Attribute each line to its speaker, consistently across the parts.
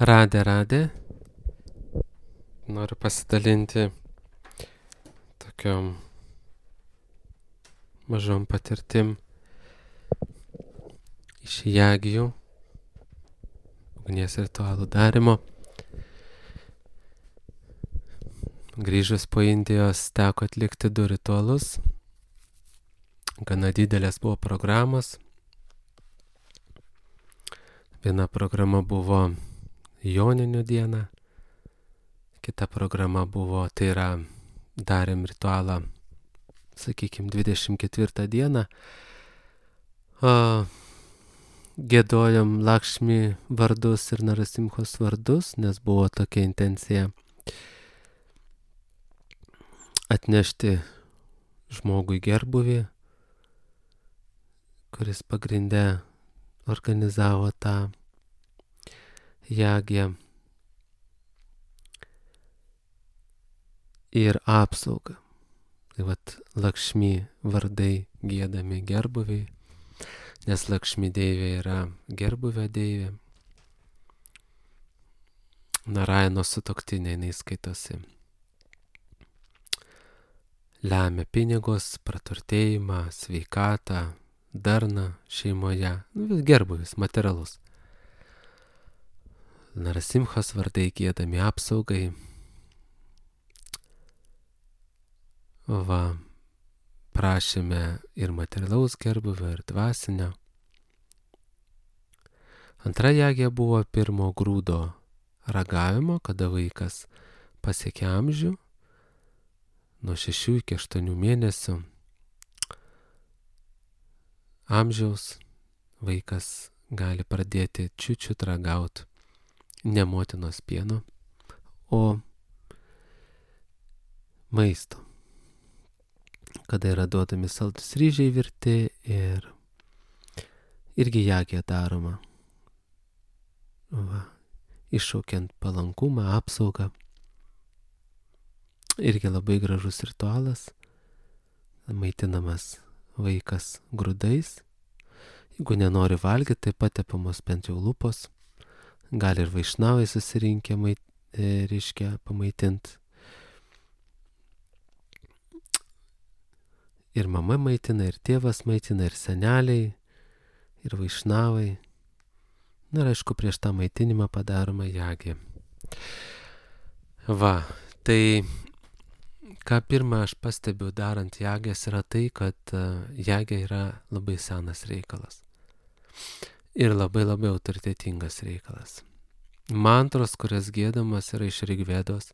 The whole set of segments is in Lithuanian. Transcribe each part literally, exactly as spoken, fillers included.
Speaker 1: Radė, radė. Noriu pasidalinti tokiom mažom patirtim iš jagijų, ugnies ritualų darimo. Grįžus po Indijos teko atlikti du ritualus. Gana didelės buvo programos. Viena programa buvo Joninių diena, kita programa buvo, tai yra, darėm ritualą, sakykime, dvidešimt ketvirtą dieną. O, giedojom Lakšmi vardus ir Narasimhos vardus, nes buvo tokia intencija atnešti žmogui gerbuvį, kuris pagrinde organizavo tą jagiją, ir apsaugą. Tai vat Lakšmi vardai giedami gerbuviai, nes Lakšmi deivė yra gerbuvio deivė. Narayano sutuoktinė, jinai skaitosi. Lemia pinigus, praturtėjimą, sveikatą, darną šeimoje, gerbuvis, materialus. Narasimhos vardai giedami apsaugai. Va, prašėme ir materialaus gerbuvio, ir dvasinio. Antra jagija buvo pirmo grūdo ragavimo, kada vaikas pasiekia amžių, nuo šešių iki aštuonių mėnesių amžiaus vaikas gali pradėti čiučiut ragauti ne motinos pieno, o maisto. Kada yra duodami saldus ryžiai virti ir irgi jagija daroma. Va, iššaukiant palankumą, apsaugą. Irgi labai gražus ritualas. Maitinamas vaikas grūdais. Jeigu nenori valgyti, tai patepamos bent jau lūpos. Gali ir vaišnavai susirinkę mait, e, reiškia pamaitinti. Ir mama maitina, ir tėvas maitina, ir seneliai, ir vaišnavai. Na ir aišku, prieš tą maitinimą padaroma jagija. Va, tai ką pirmą aš pastebiu darant jagijas yra tai, kad uh, jagija yra labai senas reikalas. Ir labai labai autoritetingas reikalas. Mantros, kurias giedamas, yra iš Rigvedos.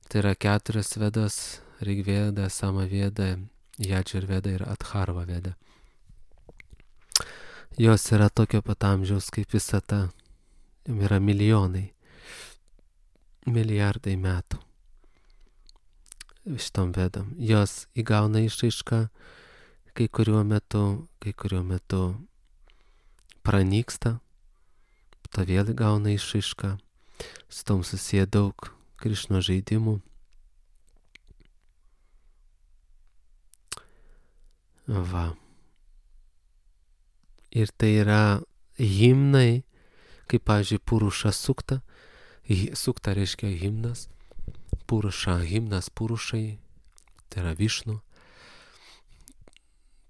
Speaker 1: Tai yra keturios vedos: Rigveda, Samaveda, Jadžurveda ir Atharva veda. Jos yra tokio pat amžiaus kaip visata. Yra milijonai, milijardai metų šitom vedom. Jos įgauna išraišką kai kuriuo metu, kai kuriuo metu pranyksta, to vėl įgauna išraišką. Su tom susiję daug Krišnos žaidimų. Va. Ir tai yra himnai, kaip, pavyzdžiui, Puruša sukta. Sukta reiškia himnas. Puruša, himnas Purušai, tai yra Višnu.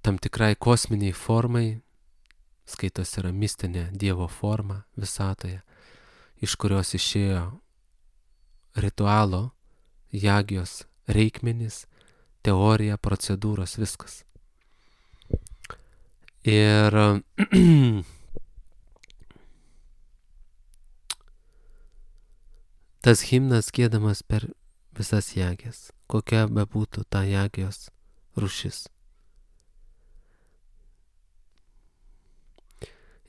Speaker 1: Tam tikrai kosminiai formai, skaitos yra mistinė Dievo forma visatoje, iš kurios išėjo ritualo, jagijos reikmenys, teorija, procedūros, viskas. Ir tas himnas giedamas per visas jagijas, kokia bebūtų ta jagijos rūšis.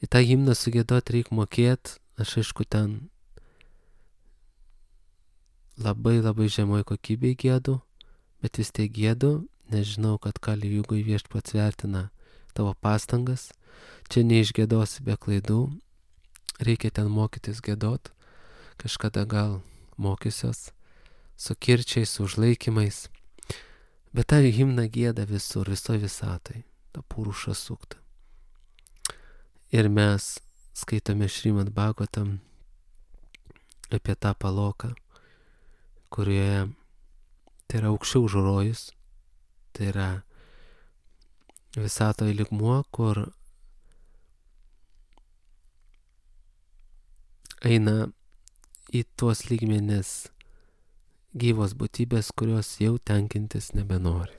Speaker 1: Į tą himną sugiedot reikia mokėti, aš aišku ten labai labai žemoj kokybėj giedu, bet vis tiek giedu, nes žinau, kad Kali Jugoj Viešpats vertina tavo pastangas, čia neišgiedosi be klaidų, reikia ten mokytis giedot, kažkada gal mokysios, su kirčiais, su užlaikymais, bet tą himną gieda visur, visoje visatoj, tą Puruša suktą. Ir mes skaitome Šrimad Bhagavatam apie tą paloką, kurioje tai yra aukščiau už rojus, tai yra visatoje lygmuo, kur eina į tuos lygmenis gyvos būtybės, kurios jau tenkintis nebenori.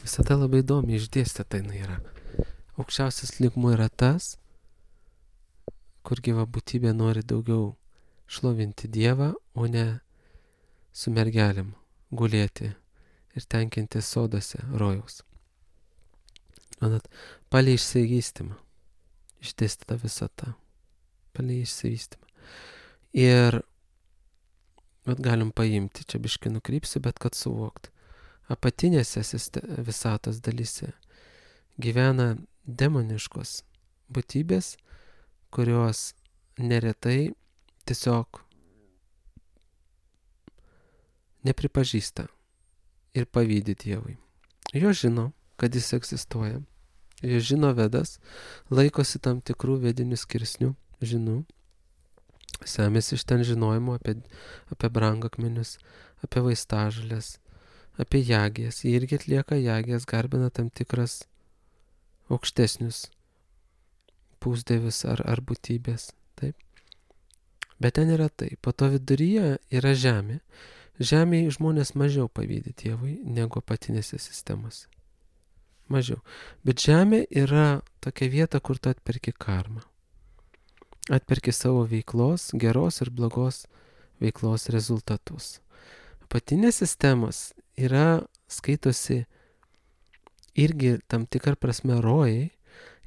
Speaker 1: Visata labai įdomi išdėstyta jinai yra. Aukščiausias lygmuo yra tas, kur gyva būtybė nori daugiau šlovinti Dievą, o ne su mergelėm gulėti ir tenkinti sodose rojaus. Manat, palei išsivystymą išdėstyta visata. Palei išsivystymą. Ir vat galim paimti, čia biškai nukrypsiu, bet kad suvokt. Apatinėse visatos dalyse gyvena demoniškos būtybės, kurios neretai tiesiog nepripažįsta ir pavydi Dievui. Jos žino, kad jis egzistuoja. Jos žino Vedas, laikosi tam tikrų vedinių skirsnių, žinų, semėsi iš ten žinojimo apie, apie brangakmenius, apie vaistažolės, apie jagės. Jie irgi atlieka jagės, garbina tam tikras aukštesnius pusdievius ar, ar būtybės. Taip. Bet ten yra taip. Po to viduryje yra žemė. Žemėje žmonės mažiau pavydi Dievui negu apatinėse sistemose. Mažiau. Bet žemė yra tokia vieta, kur tu atperki karmą. Atperki savo veiklos, geros ir blogos veiklos rezultatus. Apatinės sistemos yra, skaitosi irgi tam tikrą prasme rojai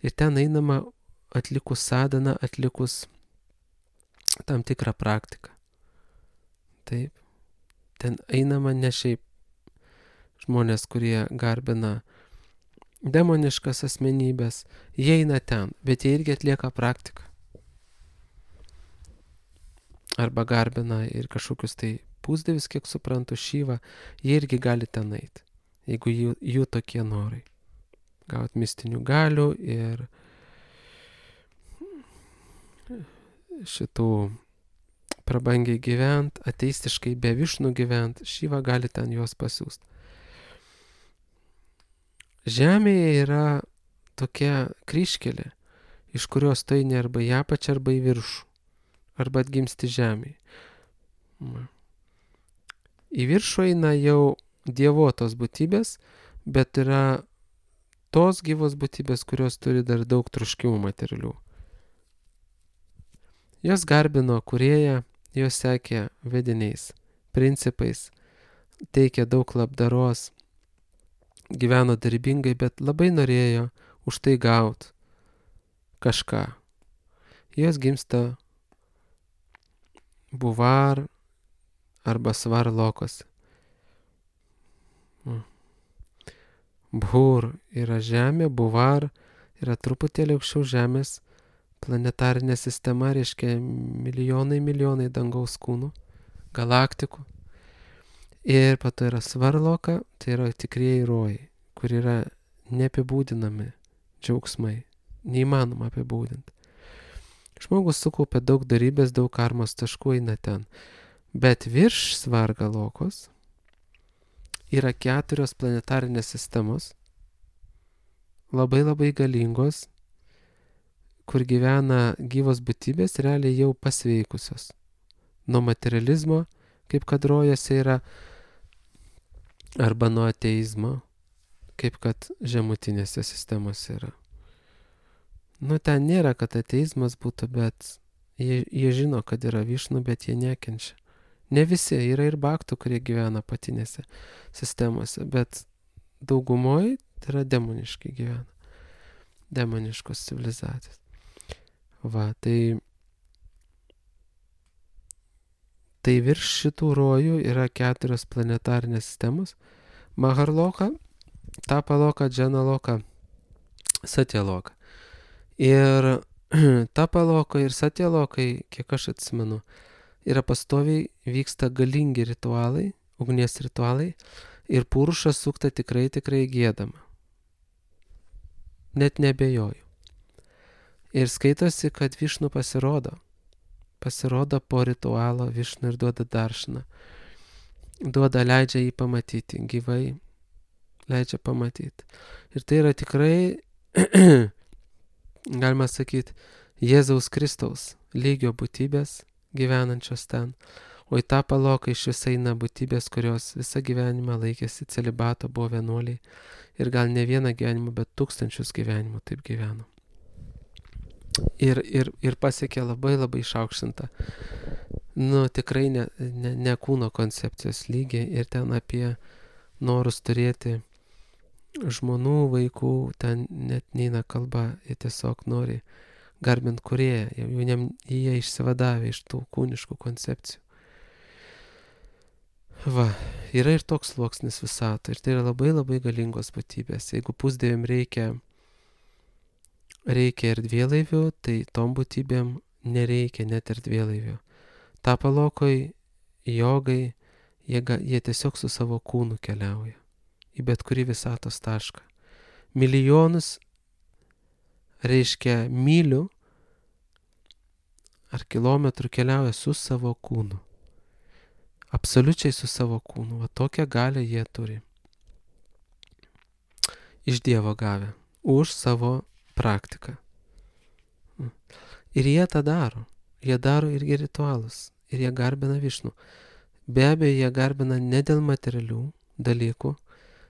Speaker 1: ir ten einama atlikus sadhaną, atlikus tam tikrą praktiką. Taip. Ten einama ne šiaip žmonės, kurie garbina demoniškas asmenybės, jie eina ten, bet jie irgi atlieka praktiką. Arba garbina ir kažkokius tai pusdievius, kiek suprantu, Šyvą, jie irgi gali ten eiti, jeigu jų, jų tokie norai. Gauti mistinių galių ir šitų prabangiai gyvent, ateistiškai be Višnų gyvent, Šyva gali ten juos pasiūsti. Žemėje yra tokia kryžkelė, iš kurios tu eini arba į apačią, arba į viršų, arba atgimsti žemėje. Į viršų eina jau dievotos būtybės, bet yra tos gyvos būtybės, kurios turi dar daug troškimų materialių. Jos garbino kūrėją, jos sekė vediniais, principais, teikė daug labdaros, gyveno darbingai, bet labai norėjo už tai gauti kažką. Jos gimsta Buvar arba Svarlokose. Bhur yra žemė, Buvar yra truputėlį aukščiau žemės, planetarinė sistema, reiškia milijonai, milijonai dangaus kūnų, galaktikų. Ir po to yra Svarloka, tai yra tikrieji rojai, kur yra neapibūdinami džiaugsmai, neįmanoma apibūdinti. Žmogus sukaupia daug darybės, daug karmos taškų, eina ten. Bet virš Svargalokos yra keturios planetarinės sistemos, labai labai galingos, kur gyvena gyvos būtybės, realiai jau pasveikusios. Nuo materializmo, kaip kad rojose yra, arba nuo ateizmo, kaip kad žemutinėse sistemose yra. Nu, ten nėra, kad ateizmas būtų, bet jie, jie žino, kad yra Višnų, bet jie nekenčia. Ne visi, yra ir baktų, kurie gyvena apatinėse sistemose, bet daugumoje tai yra demoniškai gyvena. Demoniškos civilizacijos. Va, tai, tai virš šitų rojų yra keturios planetarinės sistemos. Maharloka, Tapaloka, Džanaloka, Satyaloka. Ir Tapaloka ir Satyalokai, kiek aš atsimenu, yra pastoviai vyksta galingi ritualai, ugnies ritualai, ir Puruša sukta tikrai, tikrai giedama. Net nebejoju. Ir skaitosi, kad Višnų pasirodo pasirodo po ritualo Višnu ir duoda daršną. Duoda, leidžia jį pamatyti, gyvai leidžia pamatyti. Ir tai yra tikrai, galima sakyti, Jėzaus Kristaus lygio būtybės gyvenančios ten. O į tą paloką iš vis eina būtybės, kurios visą gyvenimą laikėsi celibato, buvo vienuoliai. Ir gal ne vieną gyvenimą, bet tūkstančius gyvenimų taip gyveno. Ir, ir, ir pasiekė labai labai išaukštintą, nu tikrai ne, ne, ne kūno koncepcijos lygį. Ir ten apie norus turėti žmonų, vaikų, ten net neina kalba, jie tiesiog nori garbint kūrėją, jau jie išsivadavę iš tų kūniškų koncepcijų. Va, yra ir toks sluoksnis visato, ir tai yra labai labai galingos būtybės. Jeigu pusdieviam reikia, reikia erdvėlaivių, tai tom būtybėm nereikia net erdvėlaivių. Ta palokoj jogai, jie, jie tiesiog su savo kūnu keliauja į bet kurį visatos tašką. Milijonus, reiškia mylių ar kilometrų keliauja su savo kūnu. Absoliučiai su savo kūnu. Va tokią galią jie turi. Iš Dievo gavę. Už savo praktiką. Ir jie tą daro. Jie daro irgi ritualus. Ir jie garbina Višnų. Be abejo, jie garbina ne dėl materialių dalykų.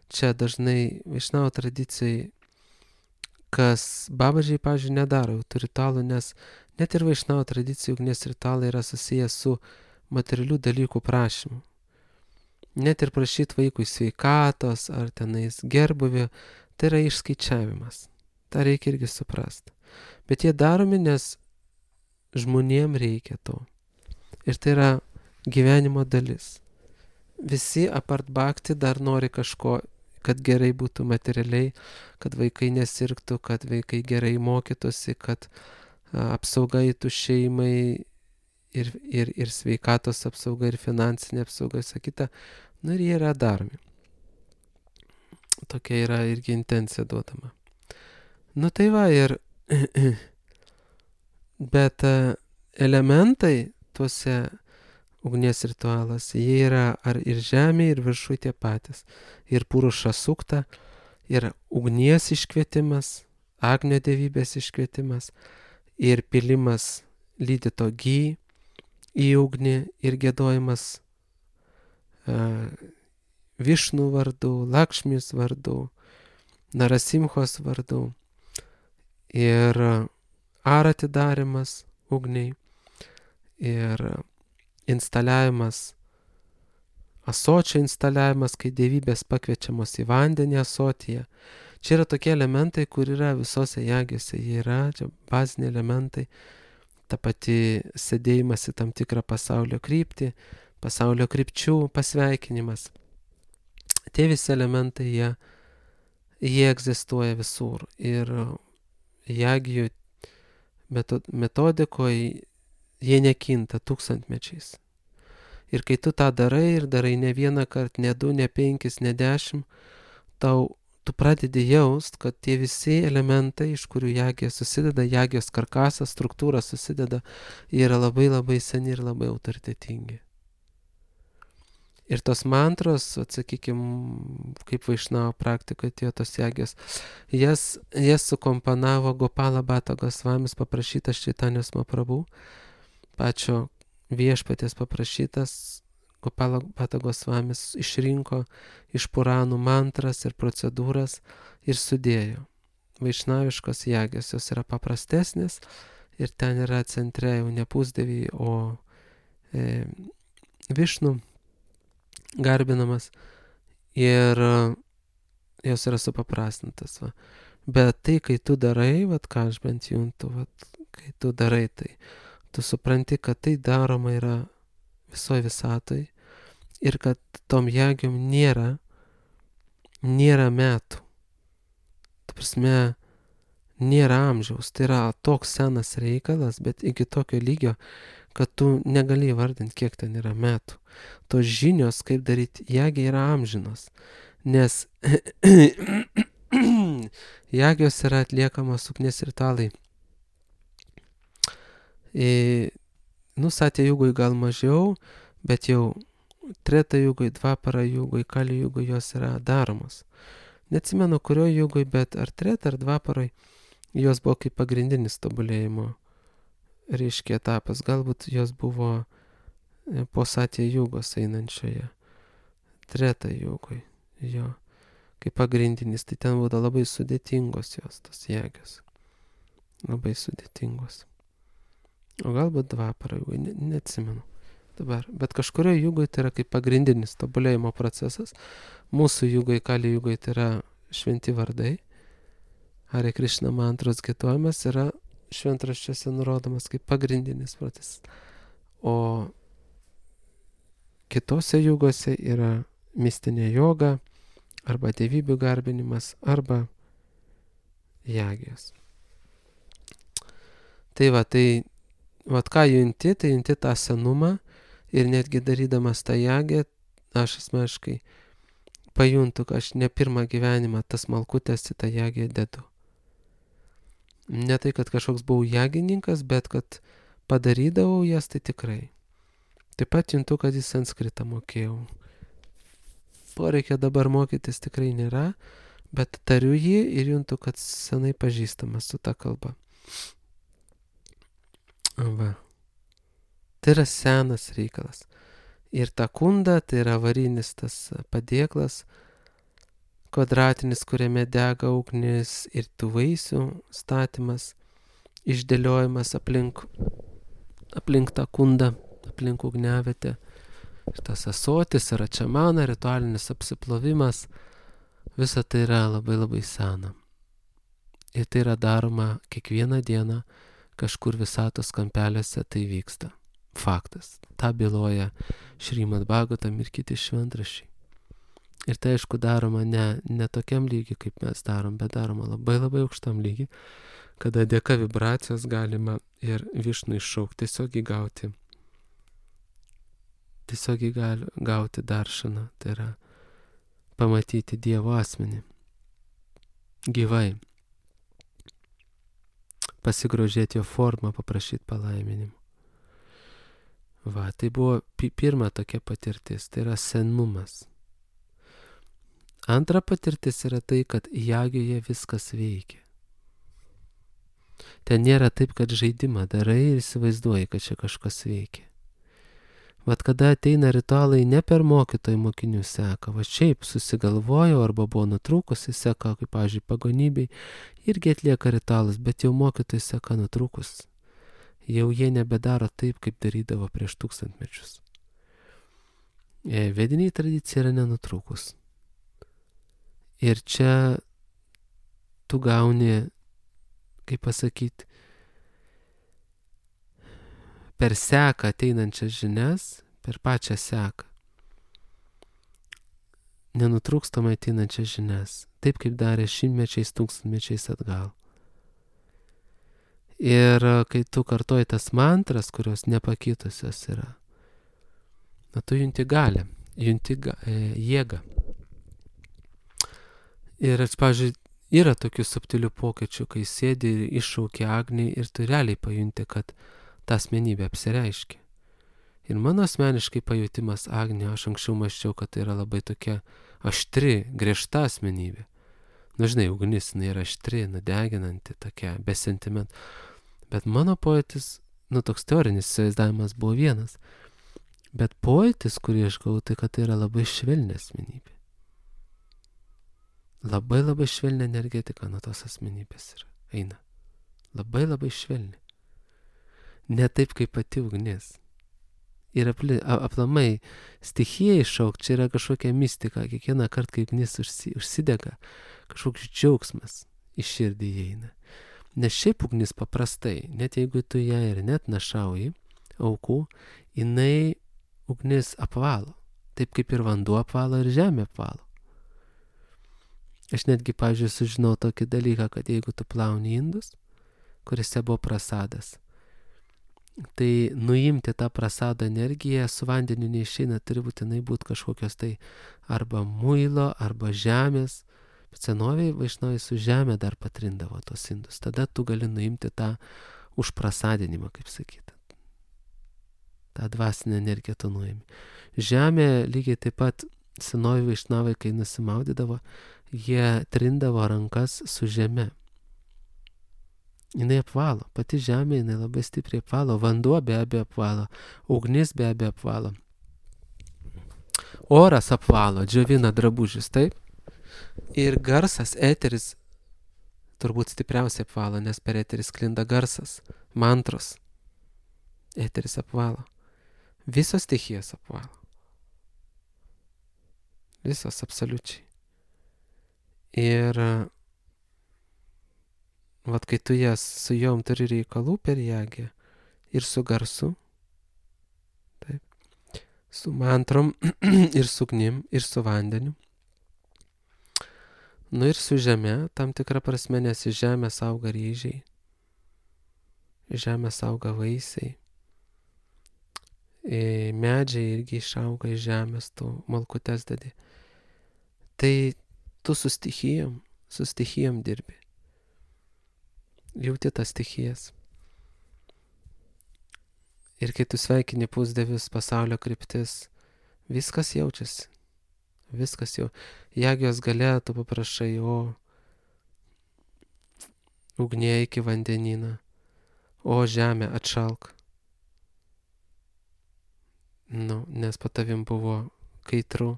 Speaker 1: Čia dažnai Višnavo tradicijai, kas babažiai, pavyzdžiui, nedaro tų ritualų, nes net ir Višnavo tradicijų ugnies ritualai yra susijęs su materialių dalykų prašymu. Net ir prašyti vaikui sveikatos ar tenais gerbuvio, tai yra išskaičiavimas. Ta reikia irgi suprasti. Bet jie daromi, nes žmonėm reikia to. Ir tai yra gyvenimo dalis. Visi apart bhakti dar nori kažko, kad gerai būtų materialiai, kad vaikai nesirgtų, kad vaikai gerai mokytųsi, kad a, apsauga įtų šeimai, Ir, ir, ir sveikatos apsauga, ir finansinė apsauga, sakyta, nu ir jie yra daromi. Tokia yra irgi intencija duodama. Nu tai va, ir bet elementai tuose ugnies ritualuose, jie yra ar ir žemė, ir viršui tie patys. Ir puruša sukta, ir ugnies iškvietimas, agnio dievybės iškvietimas, ir pilimas lydyto gy į ugnį, ir giedojimas uh, Višnų vardu, Lakšmis vardu, Narasimhos vardu, ir arati darimas ugniai, ir instaliavimas, asočio instaliavimas, kai dievybės pakviečiamos į vandenį asotyje. Čia yra tokie elementai, kur yra visose jagiuose, jie yra, čia baziniai elementai. Ta pati sėdėjimas į tam tikrą pasaulio kryptį, pasaulio krypčių pasveikinimas. Tie visi elementai, jie, jie egzistuoja visur. Ir jagijų metodikoje jie nekinta tūkstantmečiais. Ir kai tu tą darai, ir darai ne vieną kartą, ne du, ne penkis, ne dešimt, tau tu pradedi jaust, kad tie visi elementai, iš kurių jagija susideda, jagijos karkasas, struktūra susideda, jie yra labai labai seni ir labai autoritetingi. Ir tos mantros, atsakykime, kaip Vaišnavo praktikoje atėjo tos jagijos, jas, jas sukomponavo Gopala Bhatta Gosvamis, paprašytas Čaitanjos Mahaprabhu, pačio viešpaties paprašytas. Gopala Bhatta Gosvamis išrinko iš Puranų mantras ir procedūras ir sudėjo. Vaišnaviškos jagijos, jos yra paprastesnės ir ten yra centre jau ne pusdieviai, o e, Višnų garbinamas ir jos yra supaprastintas. Va. Bet tai, kai tu darai, vat, ką aš bent juntu, vat, kai tu darai tai, tu supranti, kad tai daroma yra visoje visatoj ir kad tom jagiom nėra, nėra metų. Ta prasme, nėra amžiaus. Tai yra toks senas reikalas, bet iki tokio lygio, kad tu negali įvardinti, kiek ten yra metų. Tos žinios, kaip daryti jagį, yra amžinos. Nes jagios yra atliekamos ugnies ritualai. E, nu, satya jugoj gal mažiau, bet jau treta jugoj, dvapara jugoj, kali jugoj jos yra daromos. Neatsimenu, kurio jugoj, bet ar treta, ar dvaparoj jos buvo kaip pagrindinis tobulėjimo, reiškia, etapas. Galbūt jos buvo po satya jugos einančioje. Treta jugoj, jo, kaip pagrindinis. Tai ten būtų labai sudėtingos jos, tos jėgos. Labai sudėtingos. O galbūt dvapara jugoj, ne, neatsimenu dabar. Bet kažkurio jugoj tai yra kaip pagrindinis tobulėjimo procesas. Mūsų jugoj, kali jugoj tai yra šventi vardai. Hare Krishna mantros gietojimas yra šventraščiuose nurodomas kaip pagrindinis procesas. O kitose jugose yra mistinė joga, arba dievybių garbinimas, arba jagijos. Tai va, tai, va ką junti, tai junti tą senumą ir netgi darydamas tą jagiją, aš asmeniškai pajuntu, kad aš ne pirmą gyvenimą tas malkutės į tą jagiją dedu. Ne tai, kad kažkoks buvau jagininkas, bet kad padarydavau jas, tai tikrai. Taip pat juntu, kad į sanskritą mokėjau. Poreikio dabar mokytis tikrai nėra, bet tariu jį ir juntu, kad senai pažįstamas su ta kalba. Va. Tai yra senas reikalas. Ir ta kunda, tai yra varinis tas padėklas, kvadratinis, kuriame dega ugnis, ir tų vaisių statymas, išdėliojimas aplink, aplink tą kundą, aplink ugniavietę. Ir tas asotis, račamana, ritualinis apsiplovimas, visa tai yra labai labai sena. Ir tai yra daroma kiekvieną dieną, kažkur visatos kampeliuose tai vyksta. Faktas. Ta byloja Šrimad Bhagavatam ir kiti šventraščiai. Ir tai aišku daroma ne, ne tokiam lygiui, kaip mes darom, bet daroma labai labai aukštam lygiui, kada dėka vibracijos galima ir Višnų iššaukti, tiesiog įgauti. Tiesiog gali gauti daršaną, tai yra pamatyti Dievo asmenį. Gyvai. Pasigrožėti jo formą, paprašyti palaiminimų. Va, tai buvo pi- pirma tokia patirtis, tai yra senumas. Antra patirtis yra tai, kad jagijoje viskas veikia. Ten nėra taip, kad žaidimą darai ir įsivaizduoji, kad čia kažkas veikia. Vat kada ateina ritualai ne per mokytojų mokinių seka, va šiaip susigalvojo arba buvo nutrūkusi seka, kaip, pavyzdžiui, pagonybei, irgi atlieka ritualus, bet jau mokytojai seka nutrūkus. Jau jie nebedaro taip, kaip darydavo prieš tūkstantmečius. Vediniai tradicija yra nenutrūkus. Ir čia tu gauni, kaip pasakyti, per seką ateinančias žinias, per pačią seką. Nenutrūkstamai ateinančias žinias, taip kaip darė šimtmečiais, tūkstantmečiais atgal. Ir kai tu kartoji tas mantras, kurios nepakitusios yra, na tu junti galę, junti ga, e, jėgą. Ir, pavyzdžiui, yra tokių subtilių pokyčių, kai sėdi ir iššaukia agnį ir tu realiai pajunti, kad ta asmenybė apsireiškia. Ir mano asmeniškai pajutimas agnio, aš anksčiau mąsčiau, kad tai yra labai tokia aštri, griežta asmenybė. Nu, žinai, ugnis, jinai yra aštri, nudeginanti, tokia, be sentimentų. Bet mano pojūtis, nu, toks teorinis įsivaizdavimas buvo vienas. Bet pojūtis, kurį aš gavau, tai kad tai yra labai švelni asmenybė. Labai labai švelni energetika nuo tos asmenybės yra, eina. Labai labai švelni. Ne taip kaip pati ugnis. Ir apli, aplamai stichija iššaukti, čia yra kažkokia mistika. Kiekvieną kartą, kai ugnis užsi, užsidega, kažkoks džiaugsmas iš širdį įeina. Nes šiaip ugnis paprastai, net jeigu tu ją ir net našauji aukų, jinai ugnis apvalo. Taip kaip ir vanduo apvalo ir žemė apvalo. Aš netgi, pavyzdžiui, sužinau tokį dalyką, kad jeigu tu plauni indus, kuriuose buvo prasadas, tai nuimti tą prasado energiją su vandeniu neišeina, turi būtinai būti kažkokios tai arba muilo, arba žemės. Bet senoviai vaišnavai su žemė dar patrindavo tos indus. Tada tu gali nuimti tą užprasadinimą, kaip sakyti. tą dvasinę energiją tu nuimi. Žemė lygiai taip pat senoji vaišnavai, kai nusimaudydavo, jie trindavo rankas su žeme. Jinai apvalo, pati žemė jinai labai stipriai apvalo, vanduo be abejo apvalo, ugnis be abejo apvalo. Oras apvalo, džiovina drabužius, taip? Ir garsas, eteris, turbūt stipriausiai apvalo, nes per eterį sklinda garsas, mantros. Eteris apvalo. Visos stichijos apvalo. Visos absoliučiai. Ir vat kai tu jas su jom turi reikalų per jėgį ir su garsu, taip, su mantrom ir su ugnim ir su vandeniu, nu ir su žeme, tam tikrą prasme, nes iš žemės auga ryžiai, iš žemės auga vaisiai, medžiai irgi išauga iš žemės, tu malkutes dedi. Tai tu su stichijom, su stichijom dirbi. Jauti tas stichijas. Ir kai tu sveikini pusdievius, pasaulio kryptis, viskas jaučiasi. Viskas jau. Jagijos gale tu paprašai, o ugnie iki vandenyną, o žemė atšalk. Nu, nes po tavim buvo kaitru.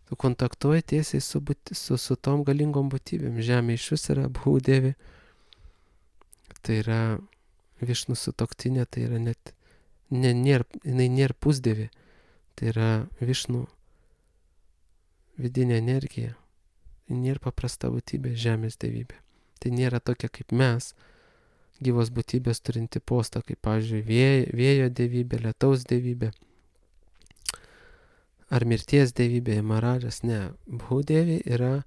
Speaker 1: Tu kontaktuoji tiesiai su, būti, su, su tom galingom būtybėm. Žemė iš vis yra Bhūdevi. Tai yra Višnų sutuoktinė, tai yra net, ne, nėra, jinai nėra pusdievė. Tai yra Višnų vidinė energija. Tai nėra paprasta būtybė, žemės dievybė. Tai nėra tokia kaip mes, gyvos būtybės turinti postą, kaip, pavyzdžiui, vėjo, vėjo dievybė, lietaus dievybė. Ar mirties dievybė, Maharadžas, ne. Bhūdevi yra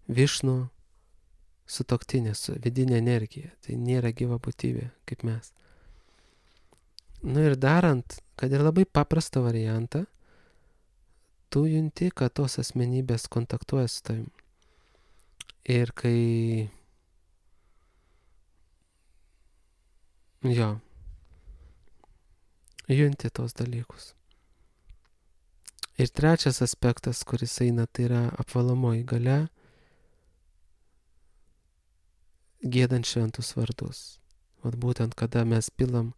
Speaker 1: Višnų sutuoktinė, su vidinė energija. Tai nėra gyva būtybė, kaip mes. Nu ir darant, kad ir labai paprastą variantą, tu junti, kad tos asmenybės kontaktuoja su tavim. Ir kai... Jo. Junti tos dalykus. Ir trečias aspektas, kuris eina, tai yra apvalomoji galia, giedant šventus vardus. Vat būtent kada mes pilam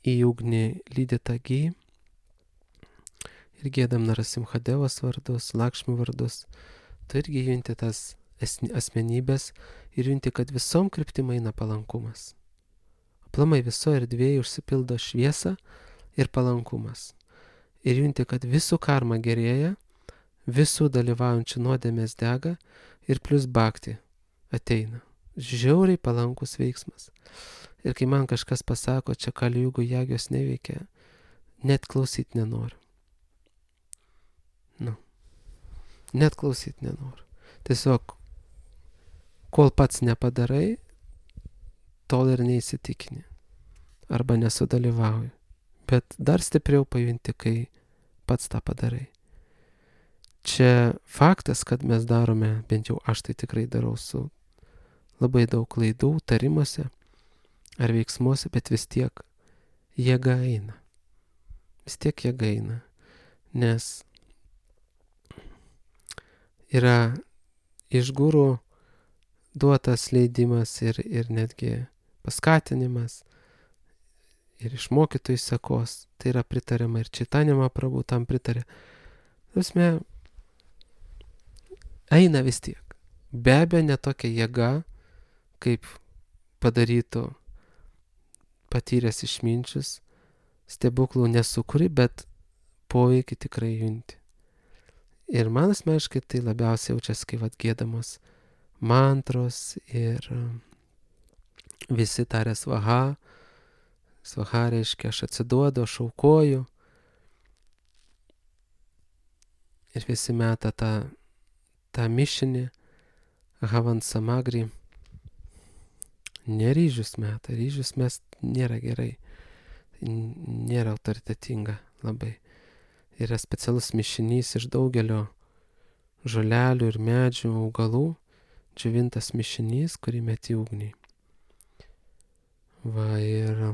Speaker 1: į ugnį lydytą gy ir giedam Narasimhadevos vardus, Lakšmių vardus, tu irgi junti tas asmenybės ir junti, kad visom kryptim eina palankumas. Aplamai visoje erdvėje užsipildo šviesa ir palankumas. Ir junti, kad visų karma gerėja, visų dalyvaujančių nuodėmės dega ir plus bhakti ateina. Žiauriai palankus veiksmas. Ir kai man kažkas pasako, čia Kali Jugų jagijos neveikia, net klausyt nenoriu. Nu. Net klausyt nenoriu. Tiesiog, kol pats nepadarai, tol ir neįsitikini. Arba nesudalyvauji. Bet dar stipriau pajunti, kai pats tą padarai. Čia faktas, kad mes darome, bent jau aš tai tikrai darau su labai daug klaidų, tarimuose ar veiksmuose, bet vis tiek jėga eina. Vis tiek jėga eina. Nes yra iš gurų duotas leidimas ir, ir netgi paskatinimas ir iš mokytojų sekos. Tai yra pritariama ir Čaitanija Mahaprabhu tam pritarė. Tasme, eina vis tiek. Be abejo, ne tokia jėga, kaip padarytų patyręs išminčius, stebuklų nesukuri, bet poveikį tikrai junti. Ir man asmeniškai tai labiausiai jaučiasi, kai vat giedamos mantros ir visi taria svaha. Svaha reiškia, aš atsiduodu, aš aukoju. Ir visi meta tą, tą mišinį, Havan Samagri. Ne ryžius meta, ryžius mes nėra gerai. Nėra autoritetinga labai. Yra specialus mišinys iš daugelio žolelių ir medžių, augalų, džiovintas mišinys, kurį meti ugnį. Va ir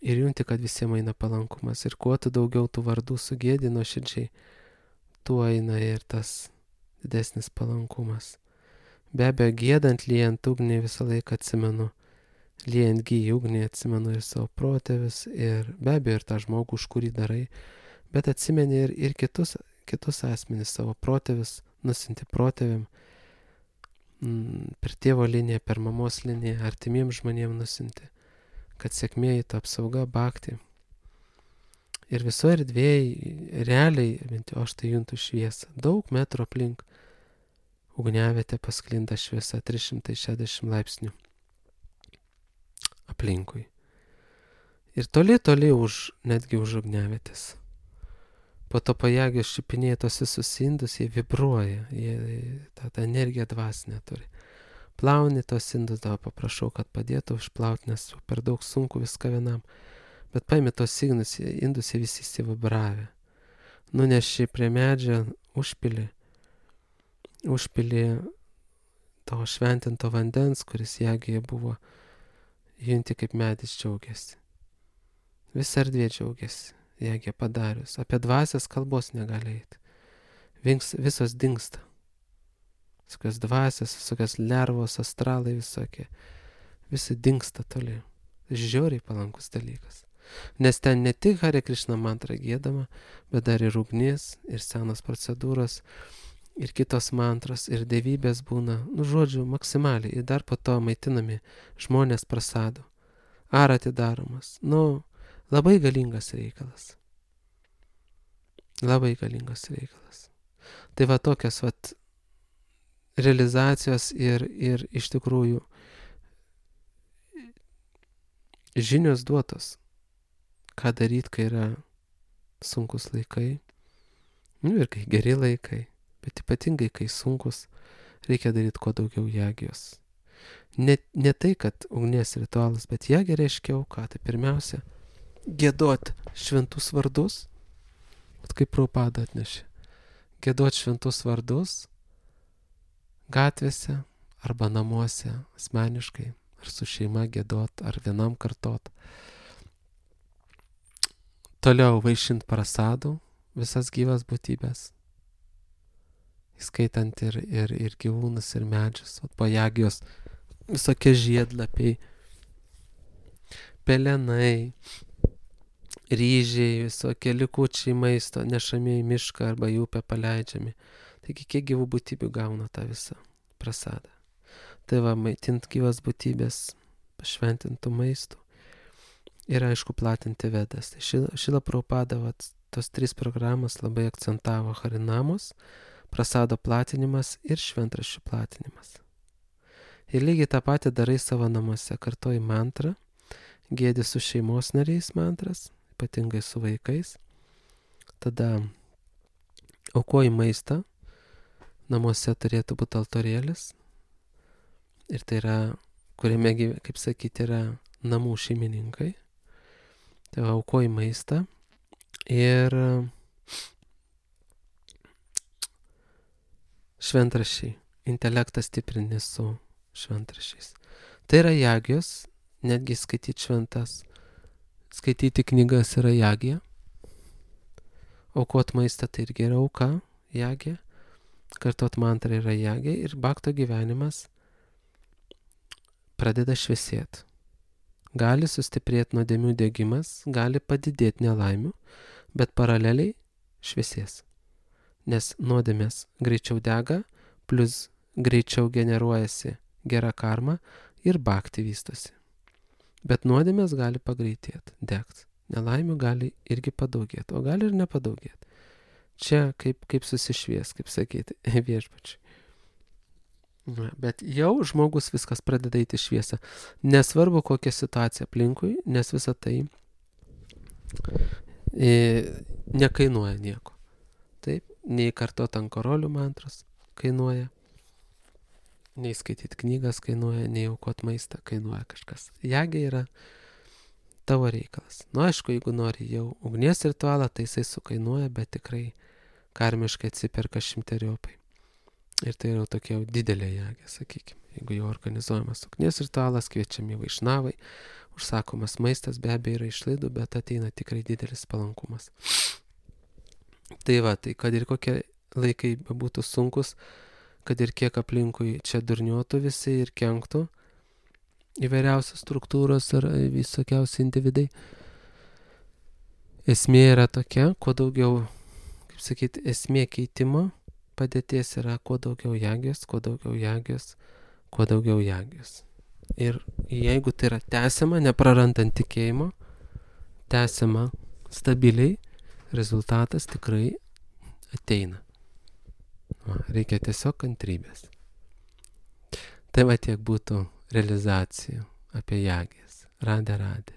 Speaker 1: ir junti, kad visiems eina palankumas. Ir kuo tu daugiau tų vardų sugėdi nuoširdžiai, tuo eina ir tas didesnis palankumas. Be abejo, giedant, liejant ugnį visą laiką atsimenu. Liejant gyjį ugnį atsimenu ir savo protėvis, ir be abejo ir tą žmogų, už kurį darai, bet atsimeni ir, ir kitus, kitus asmenis, savo protėvis, nusinti protėvim, per tėvo liniją, per mamos liniją, artimiems žmonėms nusinti, kad sėkmė įtų apsauga, bhakti. Ir visoje erdvėje, realiai, bent jau aš tai juntu šviesą, daug metrų aplink ugniavietė pasklinda šviesa, trys šimtai šešiasdešimt laipsnių aplinkui. Ir toli, toli už, netgi už ugniavietės. Po to pajėgios šipinėje tos visus indus, jie vibruoja, jie tą, tą energiją dvasinę turi. Plauni tos indus, dabar paprašau, kad padėtų išplauti, nes per daug sunku viską vienam. Bet paimi tos indus, indus jie visi įsivibravę. Nuneši prie medžio, užpili, užpili to šventinto vandens, kuris jėgėje buvo, junti kaip medis džiaugiasi. Visa erdvė džiaugiasi. Jėgė padarius. Apie dvasias kalbos negali eiti. Vings, visos dingsta. Visokios dvasias, visokios lervos, astralai visokie. Visi dingsta toli. Žiauriai palankus dalykas. Nes ten ne tik Hare Krishna mantra giedama, bet dar ir ugnis, ir senos procedūros, ir kitos mantros, ir dievybės būna. Nu, žodžiu, maksimaliai. Ir dar po to maitinami žmonės prasadu. Ar atidaromas. Nu, labai galingas reikalas. Labai galingas reikalas. Tai va tokios vat realizacijos ir, ir iš tikrųjų žinios duotos, ką daryti, kai yra sunkus laikai, nu ir kai geri laikai, bet ypatingai kai sunkus, reikia daryti kuo daugiau jagijos. Ne, ne tai, kad ugnies ritualas, bet jagė reiškia auką. Tai pirmiausia, giedot šventus vardus, kaip Prabhupada atnešė, giedot šventus vardus gatvėse arba namuose asmeniškai, ar su šeima giedot, ar vienam kartot. Toliau vaišint prasadų visas gyvas būtybės, įskaitant ir, ir, ir gyvūnus, ir medžius, o po jagijos visokie žiedlapiai, pelenai, ryžiai, visokie likučiai maisto nešami į mišką arba į upę paleidžiami. Taigi kiek gyvų būtybių gauna tą visą prasadą. Tai va, maitint gyvas būtybės pašventintų maistų ir aišku platinti vedas. Tai Šrila Prabhupada vat, tos trys programos labai akcentavo: harinamos, prasado platinimas ir šventraščių platinimas. Ir lygiai tą patį darai savo namuose, kartoji mantrą, giedi su šeimos nariais mantras, ypatingai su vaikais, tada aukoji maistą, namuose turėtų būti altorėlis, ir tai yra, kuriame, kaip sakyti, yra namų šeimininkai, tai aukoji maistą ir šventraščiai, intelektą stiprini su šventraščiais. Tai yra jagijos, netgi skaityti šventas, skaityti knygas yra jagija, aukot maistą tai irgi yra auka, jagija, kartot mantrą yra jagija ir bhakto gyvenimas pradeda šviesėti. Gali sustiprėti nuodėmių degimas, gali padidėti nelaimių, bet paraleliai šviesės. Nes nuodėmės greičiau dega, plus greičiau generuojasi gera karma ir bhakti vystosi. Bet nuodėmės gali pagreitėti, degti. Nelaimių gali irgi padaugėti, o gali ir nepadaugėti. Čia kaip, kaip susišvies, kaip sakyti, viešpačiai. Bet jau žmogus viskas pradeda eiti šviesą. Nesvarbu kokia situacija aplinkui, nes visa tai e, nekainuoja nieko. Taip, nei kartot ant korolių mantros kainuoja, nei skaityti knygas kainuoja, nei aukot maistą kainuoja kažkas. Jagė yra tavo reikalas. Nu, aišku, jeigu nori jau ugnies ritualą, tai jisai sukainuoja, bet tikrai karmiškai atsiperka šimteriopai. Ir tai yra tokia jau didelė jagė, sakykime. Jeigu jau organizuojamas ugnies ritualas, kviečiami vaišnavai, užsakomas maistas, be abejo yra išlaidų, bet ateina tikrai didelis palankumas. Tai va, tai kad ir kokie laikai būtų sunkus, kad ir kiek aplinkui čia durniuotų visi ir kenktų įvairiausios struktūros ar visokiausi individai. Esmė yra tokia, kuo daugiau, kaip sakyti, esmė keitimo padėties yra kuo daugiau jėgės, kuo daugiau jėgės, kuo daugiau jėgės. Ir jeigu tai yra tęsiama, neprarandant tikėjimo, tęsiama stabiliai, rezultatas tikrai ateina. Va, reikia tiesiog kantrybės. Tai va tiek būtų realizacijų apie jėgės. Radė, radė.